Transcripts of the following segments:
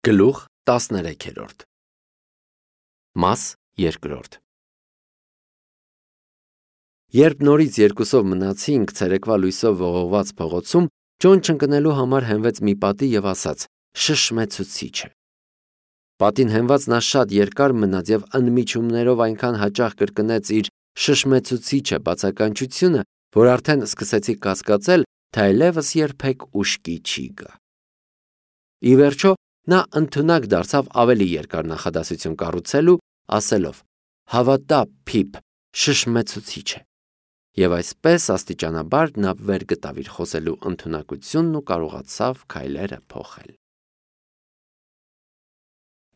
Գլուխ 13 Մաս 2 Երբ նորից երկուսով մնացինք ցերեկվա լույսով ողողված փողոցում, Ջոն չընկնելու համար հենվեց մի պատի և ասաց. շշմեցուցիչ է։ Պատին հենված նա շատ երկար մնաց և ընդմիջումներով այնքան հաճախ կրկնեց իր շշմեցուցիչ է բացականչությունը, որ արդեն սկսեցի կասկածել, թե այլևս երբեք ուշքի չի գա։ Ի վերջո նա ընդունակ դարձավ ավելի երկար նախադասություն կառուցելու, ասելով. հավատա, Փիփ, շշմեցուցիչ է։ Եվ այսպես աստիճանաբար նա վեր գտավ իր խոսելու ընդունակությունն ու կարողացավ քայլերը փոխել։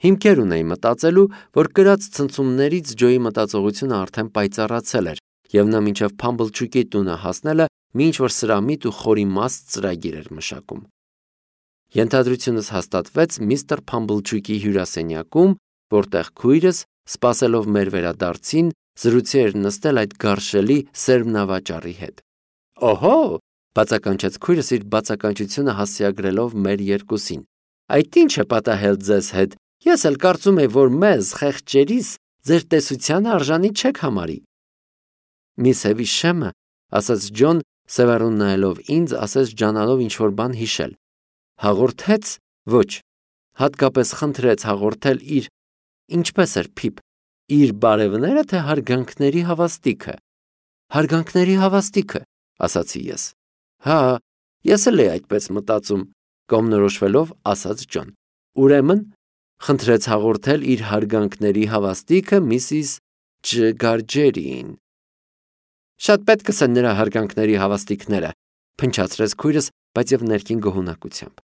Հիմքեր ունեի մտածելու, որ կրած ցնցումներից Ջոյի մտածողությունը արդեն պայծառացել էր, և նա մինչև Փամբլջուկի տունը հասնելը մի ինչ-որ սրամիտ ու խորիմաստ ծրագիր էր մշակում։ Ենթադրությունս հաստատվեց միստր Փամբլջուկի հյուրասենյակում, որտեղ քույրս, սպասելով մեր վերադարձին, զրուցի էր նստել այդ գարշելի սերմնավաճառի հետ։ Օհո, բացականչեց քույրս իր բացականչությունը հասցեագրելով մեր երկուսին։ Այդ ի՞նչ է պատահել ձեզ հետ։ Ես էլ կարծում եի, որ մեզ, խեղճերիս, ձեր տեսությանը արժանի չեք համարի։ Միս Հևիշեմը, ասաց Ջոն, սևեռուն նայելով ինձ, ասես ջանալով ինչ-որ բան հիշել։ Հաղորդեց, ոչ, հատկապես խնդրեց հաղորդել իր, ինչպես էր Փիփ, իր բարևները, թե հարգանքների հավաստիքը։ Հարգանքների հավաստիքը, ասացի ես։ Հա, ես էլ էի այդպես մտածում, կողմնորոշվելով ասաց Ջոն։ Ուրեմն, խնդրեց հաղորդել իր հարգանքների հավաստիքը Միսիս Ջգարջերին։ Շատ պետք է նրա հարգանքների հավաստիքները, փնչացրեց քույրս, բայց եւ ներքին գոհունակությամբ։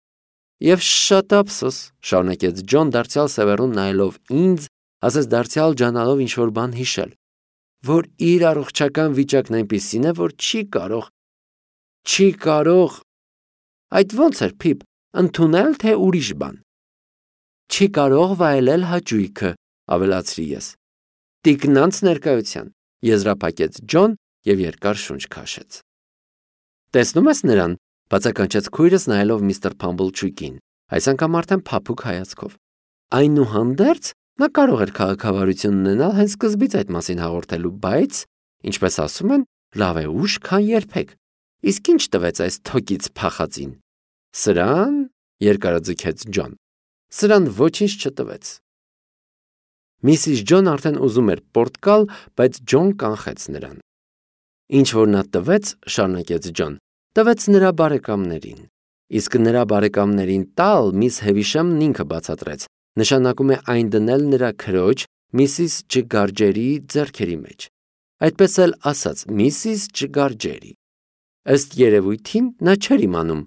Եվ շատ ափսոս, շարունակեց Ջոն դարձյալ սևեռուն նայելով ինձ, ասես դարձյալ ջանալով ինչ-որ բան հիշել, որ իր առողջական վիճակն այնպիսին է, որ չի կարող, այդ ո՞նց էր Փիփ, ընդունել, թե ուրիշ բան։ Չի կարող վայելել հաճույքը, ավելացրի ես։ Տիկնանց ներկայության, եզրափակեց Ջոն և երկար շունչ քաշեց։ Տեսնում ես նրան, բացականչեց քույրս նայելով միստր Փամբլջուկին, այս անգամ արդեն փափուկ հայացքով։ Այնուհանդերձ նա կարող էր քաղաքավարություն ունենալ հենց սկզբից այդ մասին հաղորդելու, բայց, ինչպես ասում են, լավ է ուշ, քան երբեք։ Իսկ ինչ տվեց այս թոկից փախածին։ Սրան, երկարաձգեց Ջոն, սրան ոչինչ չտվեց։ Միսիս Ջոն արդեն ուզում էր պորտ գալ, բայց Ջոն կանխեց նրան։ Ինչ որ նա տվեց, շարունակեց Ջոն, տվեց նրա բարեկամներին։ Իսկ նրա բարեկամներին տալ միս Հևիշեմն ինքը բացատրեց, նշանակում է այն դնել նրա քրոջ Միսիս Ջգարջերի ձեռքերի մեջ։ Այդպես էլ ասաց Միսիս Ջգարջերի։ Ըստ երևույթին նա չէր իմանում,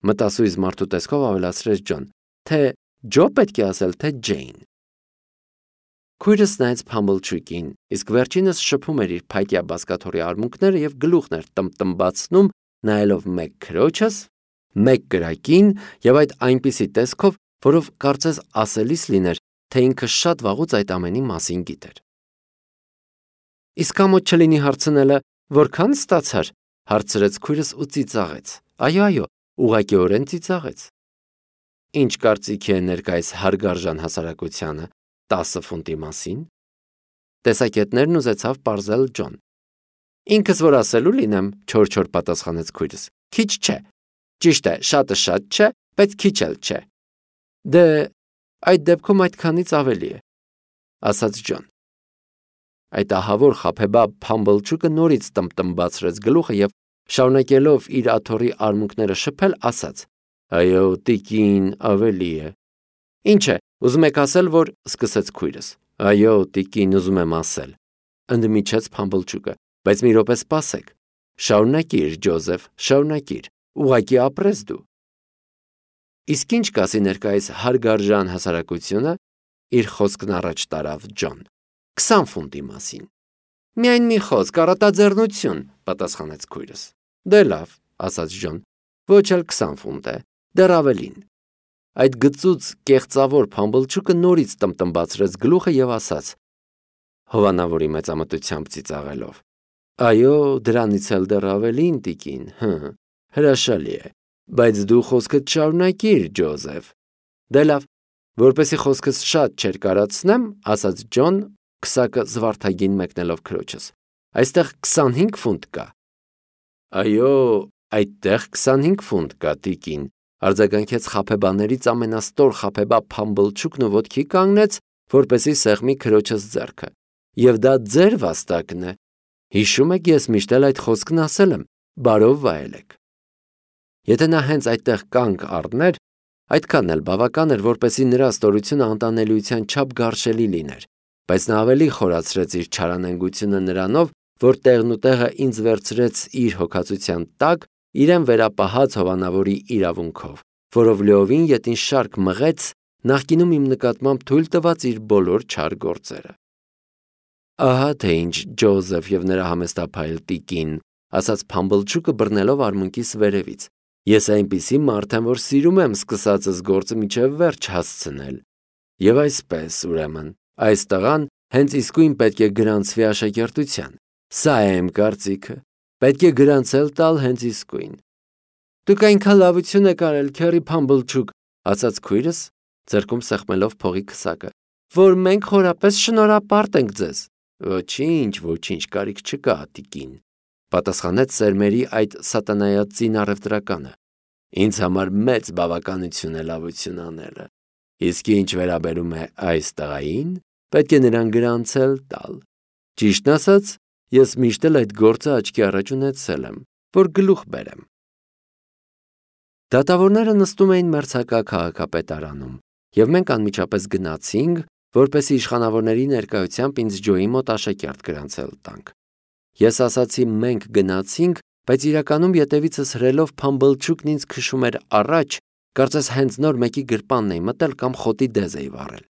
մտասույզ մարդու տեսքով ավելացրեց Ջոն, թե Ջո պետք է ասել, թե Ջեյն։ Քույրս նայեց Փամբլջուկին, իսկ վերջինս շփում էր իր փայտյա բազկաթոռի արմունկները և գլուխն էր տմտմբացնում, նայելով մեկ քրոջս, մեկ կրակին և այդ այնպիսի տեսքով, որով կարծես ասելիս լիներ, թե ինքը շատ վաղուց այդ ամենի մասին գիտեր։ Իսկ ամոթ չլինի հարցնելը, որքան ստացար, հարցրեց քույրս ու ծիծաղեց։ Այո, ուղղակիորեն ծիծաղեց։ Ինչ կարծիքի է ներկայիս հարգարժան հասարակությանը 10 ֆունտի մասին։ Տեսակետներն ուզեցավ պարզել Ջոն։ Ինքս որ ասելու լինեմ, չոր պատասխանեց քույրս։ Քիչ չէ։ Ճիշտ է, շատը շատ չէ, բայց քիչ էլ չէ։ Դե, այդ դեպքում այդքանից ավելի է, ասաց Ջոն։ Այդ ահավոր խաբեբաբ Փամբլջուկը նորից տմտմբացրեց գլուխը և շարունակելով իր աթոռի արմունկները շփել, ասաց. Այո, տիկին, ավելի է։ Ինչ է, ուզում եք ասել, որ սկսեց քույրս։ Այո, տիկին, ուզում եմ ասել, ընդմիջեց Փամբլջուկը, բայց մի րոպե սպասեք։ Շարունակիր, Ջոզեֆ, շարունակիր, ուղղակի ապրես դու։ Իսկ ինչ կասի ներկայիս հարգարժան հասարակությունը, իր խոսքն առաջ տարավ Ջոն։ 20 ֆունտի մասին։ Միայն մի խոսք, առատաձեռնություն, պատասխանեց քույրս։ Դե լավ, ասաց Ջոն, ոչ էլ 20 ֆունտ է, դեռ ավելին։ Այդ գծուծ կեղծավոր Փամբլջուկը նորից տմտմբացրեց գլուխը և ասաց, հովանավորի մեծամտությամբ ծիծաղելով. Այո, դրանից էլ դեռ ավելին, տիկին, հրաշալի է, բայց դու խոսքդ շարունակիր, Ջոզեֆ։ Դե լավ, Որպեսի խոսքս շատ չէր կարացնեմ, ասաց Ջոն, քսակը զվարթագին մեկնելով քրոջս։ Այստեղ 25 ֆունտ կա։ Այո, այդտեղ 25 ֆունտ կա, տիկին, արձագանքեց խաբեբաներից ամենաստոր խաբեբա Փամբլչուկն ու ոտքի կանգնեց, որպեսի սեղմի քրոջս ձեռքը։ Եվ դա ձեր վաստակն է։ Հիշում եք, ես միշտ էլ այդ խոսքն ասել եմ, բարով վայելեք։ Եթե նա հենց այդտեղ կանգ առներ, այդքան էլ բավական էր, որպեսի նրա ստորությունը անտանելիության չափ գարշելի լիներ, բայց նա ավելի խորացրեց իր չարանենգությունը նրանով, որ տեղն ու տեղը ինձ վերցրեց իր հոգացության տակ, իրեն վերապահած հովանավորի իրավունքով, որով լիովին ետին շարք մղեց նախկինում իմ նկատմամբ թույլ տված իր բոլոր չար գործերը։ Ահա թե ինչ Ջոզեֆ եւ նրա համեստափայլ տիկին, ասաց Փամբլչուկը բռնելով արմունկիս վերևից։ Ես այնպիսի մարդ եմ, որ սիրում եմ սկսածս գործը մինչև վերջ հասցնել։ Եվ այսպես, ուրեմն, այս տղան հենց իսկույն պետք է գրանցվի աշակերտության։ Սա է իմ կարծիքը։ Պետք է գրանցել տալ հենց իսկույն։ Դուք այնքան լավություն եք արել, Քերի Փամբլչուկ, ասաց քույրս, ձեռքում սեղմելով փողի քսակը, որ մենք խորապես շնորհապարտ ենք ձեզ։ Ոչինչ, կարիք չկա, տիկին, պատասխանեց սերմերի այդ սատանայածին առևտրականը։ Ինձ համար մեծ բավականություն է լավություն անելը։ Իսկ ինչ վերաբերում է այս տղային, պետք է նրան գրանցել տալ։ Ճիշտն ասած, ես միշտ էլ այդ գործը աչքի առաջ ունեցել եմ, որ գլուխ բերեմ։ Դատավորները նստում էին մերձակա քաղաքապետարանում, եւ մենք անմիջապես գնացինք, որպեսզի իշխանավորների ներկայությամբ ինձ Ջոյի մոտ աշակերտ գրանցել տանք։ Ես ասացի մենք գնացինք, բայց իրականում ետևիցս հրելով Փամբլչուկն ինձ քշում էր առաջ, կարծես հենց նոր մեկի գրպանն էի մտել կամ խոտի դեզ էի վառել։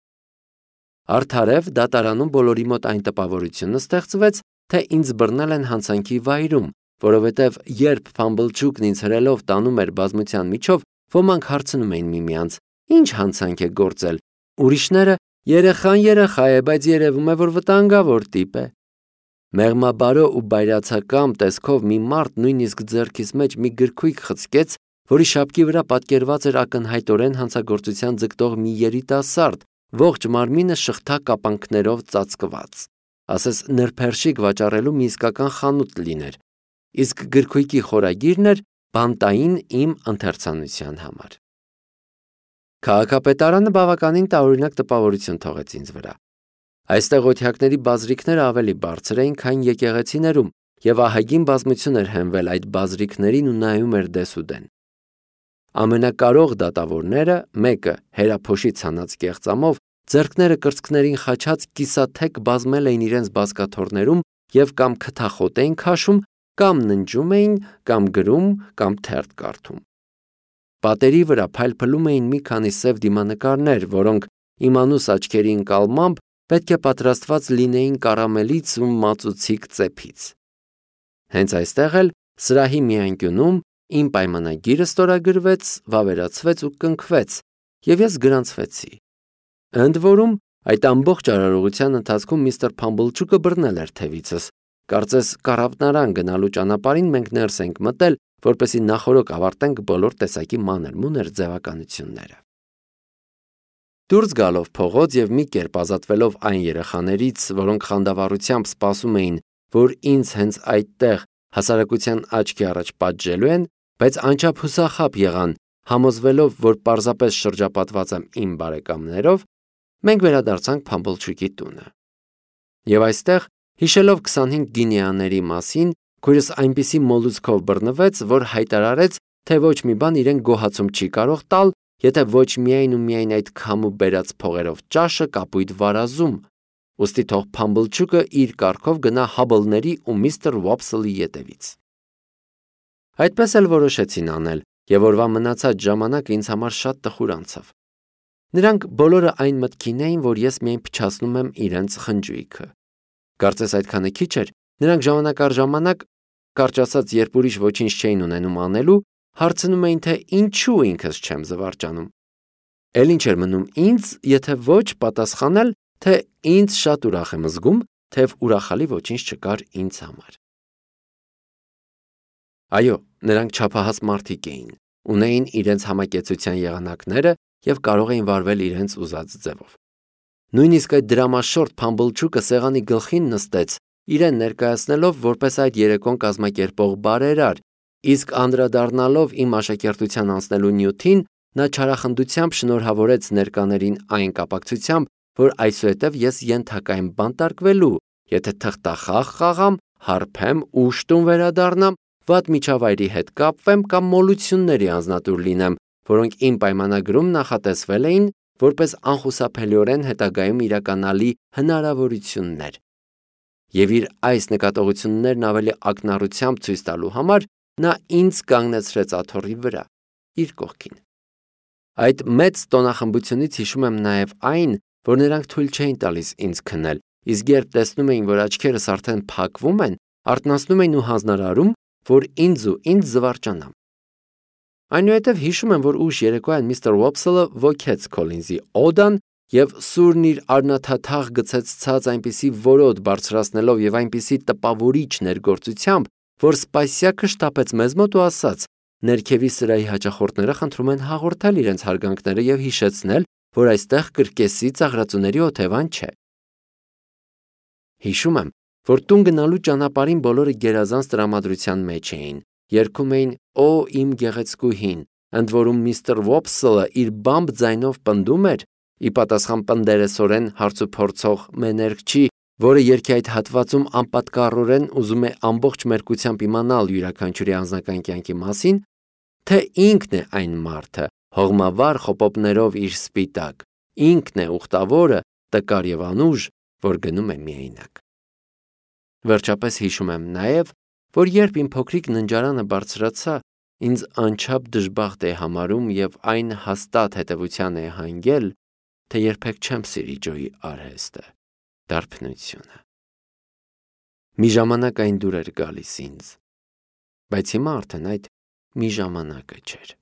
Արդարև դատարանում բոլորի մոտ այն տպավորությունը ստեղծվեց, թե ինձ բռնել են հանցանքի վայրում, որովհետև երբ Փամբլչուկն ինձ հրելով տանում էր բազմության միջով, ոմանք հարցնում էին միմյանց. «Ինչ հանցանք է գործել»։ Ուրիշները. «Երեխան երեխա է, բայց երևում է, որ վտանգավոր տիպ է»։ Մեղմաբարո ու բայրացակամ տեսքով մի մարդ նույնիսկ ձեռքիս մեջ մի գրքույկ խցկեց, որի շապկի վրա պատկերված էր ակնհայտորեն հանցագործության ձգտող մի երիտասարդ, ողջ մարմինը շղթա կապանքներով ծածկված։ Ասես նրբերշիկ վաճառելու մի իսկական խանութ լիներ, իսկ գրքույկի խորագիրն էր բանտային իմ ընթերցանության համար։ Քաղաքապետարանը բավականին տարօրինակ տպավորություն թողեց ինձ վրա։ Այստեղ օթյակների բազրիքները ավելի բարձր էին, քան եկեղեցիներում, եւ ահագին բազմություն էր հենվել այդ բազրիքներին ու նայում էր դեսուդեն։ Ամենակարող դատավորները, մեկը հերափոշի ցանած կեղծամով, ձեռքները կրծքներին խաչած կիսաթեք բազմել էին իրենց բազկաթոռներում եւ կամ քթախոտ էին քաշում, կամ ննջում էին, կամ գրում, կամ թերթ կարդում։ Պատերի վրա փայլփլում էին մի քանի սև դիմանկարներ, որոնք իմանուս աչքերի ընկալմամբ պետք է պատրաստված լինեին կարամելից ու մածուցիկ ծեփից։ Հենց այստեղ էլ սրահի մի անկյունում իմ պայմանագիրը ստորագրվեց, վավերացվեց ու կնքվեց, եւ ես գրանցվեցի։ Ընդ որում, այդ ամբողջ արարողության ընթացքում միստր Փամբլչուկը բռնել էր թևիցս։ Կարծես կառավտնարան գնալու ճանապարհին մենք ներս ենք մտել, որպեսզի նախորոք ավարտենք բոլոր տեսակի մանր-մունր ձևականությունները։ Դուրս գալով փողոց եւ մի կերպ ազատվելով այն երեխաներից, որոնք խանդավառությամբ սպասում էին, որ ինձ հենց այդտեղ հասարակության աչքի առաջ պատժելու են, բայց անչափ հուսախաբ եղան, համոզվելով, որ պարզապես շրջապատված եմ իմ բարեկամներով, մենք վերադարձանք Փամբլչուկի տունը։ Եվ այստեղ, հիշելով 25 գինեաների մասին, քույրս այնպիսի մոլուցքով բռնվեց, որ հայտարարեց, թե ոչ մի բան իրեն գոհացում չի կարող տալ, եթե ոչ միայն ու միայն այդ քամու բերած փողերով ճաշը կապույտ վարազում, ուստի թող Փամբլչուկը իր կառքով գնա Հաբլների ու միստր Ուոփսլի ետևից։ Այդպես էլ որոշեցին անել, եւ օրվա մնացած ժամանակը ինձ համար շատ տխուր անցավ։ Նրանք բոլորը այն մտքին էին, որ ես միայն փչացնում եմ իրենց խնջույքը։ Կարծես այդքանը քիչ էր, նրանք ժամանակ առ ժամանակ, կարճ ասած, երբ ուրիշ ոչինչ չէին ունենում անելու, հարցնում էին, թե ինչու ինքս չեմ զվարճանում։ Էլ ինչ էր մնում ինձ, եթե ոչ պատասխանել, թե ինձ շատ ուրախ եմ զգում, թեև ուրախալի ոչինչ չկար ինձ համար։ Այո, նրանք չափահաս մարդիկ էին, ունեին իրենց համակեցության եղանակները և կարող էին վարվել իրենց ուզած ձևով։ Նույնիսկ այդ դրամաշորթ Փամբլչուկը սեղանի գլխին նստեց, իրեն ներկայացնելով որպես այդ երեկոն կազմակերպող բարերար, իսկ անդրադառնալով իմ աշակերտության անցնելու նյութին, նա չարախնդությամբ շնորհավորեց ներկաներին այն կապակցությամբ, որ այսուհետև ես ենթակա եմ բանտարկվելու, եթե թղթախաղ խաղամ, հարբեմ, ուշ տուն վերադառնամ, վատ միջավայրի հետ կապվեմ կամ մոլությունների անձնատուր լինեմ, որոնք իմ պայմանագրում նախատեսվել էին որպես անխուսափելիորեն հետագայում իրականալի հնարավորություններ։ Եվ իր այս նկատողություններն ավելի ակնառությամբ ցույց տալու համար նա ինձ կանգնեցրեց աթոռի վրա, իր կողքին։ Այդ մեծ տոնախմբությունից հիշում եմ նաև այն, որ նրանք թույլ չէին տալիս ինձ քնել, իսկ երբ տեսնում էին, որ աչքերս արդեն փակվում են, արթնացնում էին ու հանձնարարում, որ ինձ զվարճանամ։ Այնուհետև հիշում եմ, որ ուշ երեկոյան միստր Ուոփսելը ոգեց Քոլինզի օդան և սուրն իր արնաթաթաղ գցեց ցած այնպիսի որոտ բարձրացնելով և այնպիսի տպավորիչ ներգործությամբ, որ Սպասյակը շտապեց մեզ մոտ ու ասաց. «Ներքևի սրահի հաճախորդները խնդրում են հաղորդել իրենց հարգանքները և հիշեցնել, որ այստեղ կրկեսի ծաղրածուների օթևան չէ»։ Հիշում եմ, որ տուն գնալու ճանապարհին բոլորը գերազանց տրամադրության մեջ էին, երգում էին «Օ իմ գեղեցկուհին», ընդ որում միստր Ուոփսելը իր բամբ ձայնով պնդում էր, ի պատասխան պնդերեսորեն հարցուփորձող մեներգչի, որը երգի այդ հատվածում անպատկառորեն ուզում է ամբողջ մերկությամբ իմանալ յուրաքանչյուրի անձնական կյանքի մասին, թե ինքն է այն մարդը, հողմավառ խոպոպներով իր սպիտակ, ինքն է ուխտավորը, տկար և անուժ, որ գնում է միայնակ։ Վերջապես հիշում եմ նաև, որ երբ իմ փոքրիկ ննջարանը բարձրացա, ինձ անչափ դժբախտ է համարում և այն հաստատ հետևության է հանգել, թե երբեք չեմ սիրի Ջոյի արհեստը, դարբնությունը։ Մի ժամանակ այն դուր էր գալիս ինձ, բայց հիմա արդեն այդ մի ժամանակը չէր։